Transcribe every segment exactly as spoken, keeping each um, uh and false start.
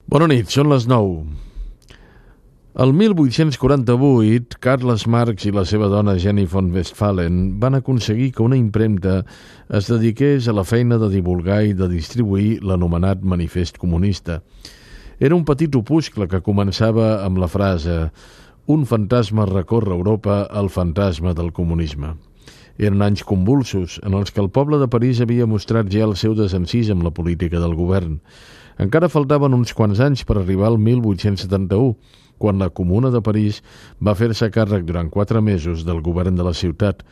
Bona nit, són les nou. El mil vuit-cents quaranta-vuit, Carles Marx i la seva dona Jenny von Westphalen van aconseguir que una impremta es dediqués a la feina de divulgar i de distribuir l'anomenat Manifest Comunista. Era un petit opuscle que començava amb la frase «Un fantasma recorre Europa, el fantasma del comunisme». Eren anys convulsos, en els que el poble de París havia mostrat ja el seu desencís amb la política del govern. Encara faltaven uns quants anys per arribar al mil vuit-cents setanta-u, quan la Comuna de París va fer-se càrrec durant quatre mesos del govern de la ciutat,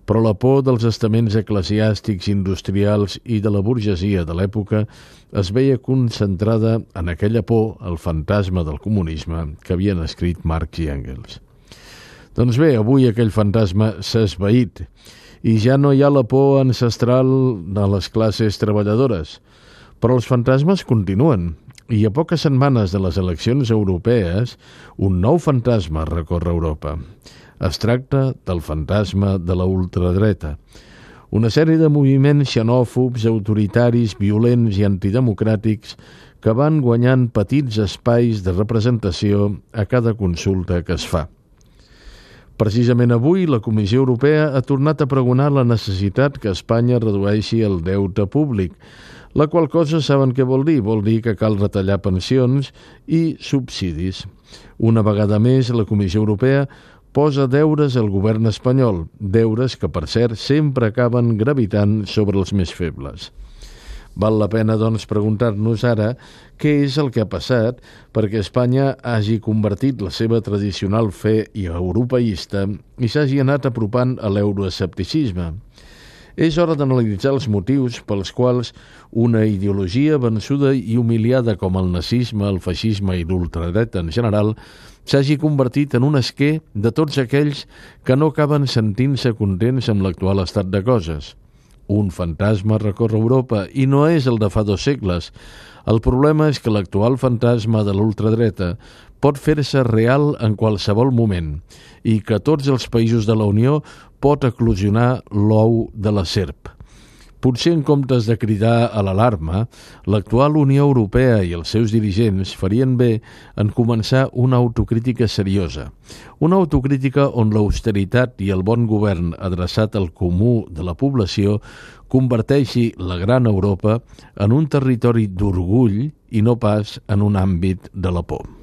però la por dels estaments eclesiàstics, industrials i de la burgesia de l'època es veia concentrada en aquella por, el fantasma del comunisme, que havien escrit Marx i Engels. Doncs bé, avui aquell fantasma s'ha esvaït i ja no hi ha la por ancestral de les classes treballadores, però els fantasmes continuen i a poques setmanes de les eleccions europees un nou fantasma recorre Europa. Es tracta del fantasma de la ultradreta. Una sèrie de moviments xenòfobs, autoritaris, violents i antidemocràtics que van guanyant petits espais de representació a cada consulta que es fa. Precisament avui, la Comissió Europea ha tornat a pregonar la necessitat que Espanya redueixi el deute públic, la qual cosa saben què vol dir? Vol dir que cal retallar pensions i subsidis. Una vegada més, la Comissió Europea posa deures al govern espanyol, deures que, per cert, sempre acaben gravitant sobre els més febles. Val la pena, doncs, preguntar-nos ara què és el que ha passat perquè Espanya hagi convertit la seva tradicional fe europeista i s'hagi anat apropant a l'euroescepticisme. És hora d'analitzar els motius pels quals una ideologia vençuda i humiliada com el nazisme, el feixisme i l'ultradreta en general s'hagi convertit en un esquer de tots aquells que no acaben sentint-se contents amb l'actual estat de coses. Un fantasma recorre Europa i no és el de fa dos segles. El problema és que l'actual fantasma de l'ultradreta pot fer-se real en qualsevol moment i que tots els països de la Unió pot eclosionar l'ou de la serp. Potser en comptes de cridar a l'alarma, l'actual Unió Europea i els seus dirigents farien bé en començar una autocrítica seriosa. Una autocrítica on l'austeritat i el bon govern adreçat al comú de la població converteixi la gran Europa en un territori d'orgull i no pas en un àmbit de la por.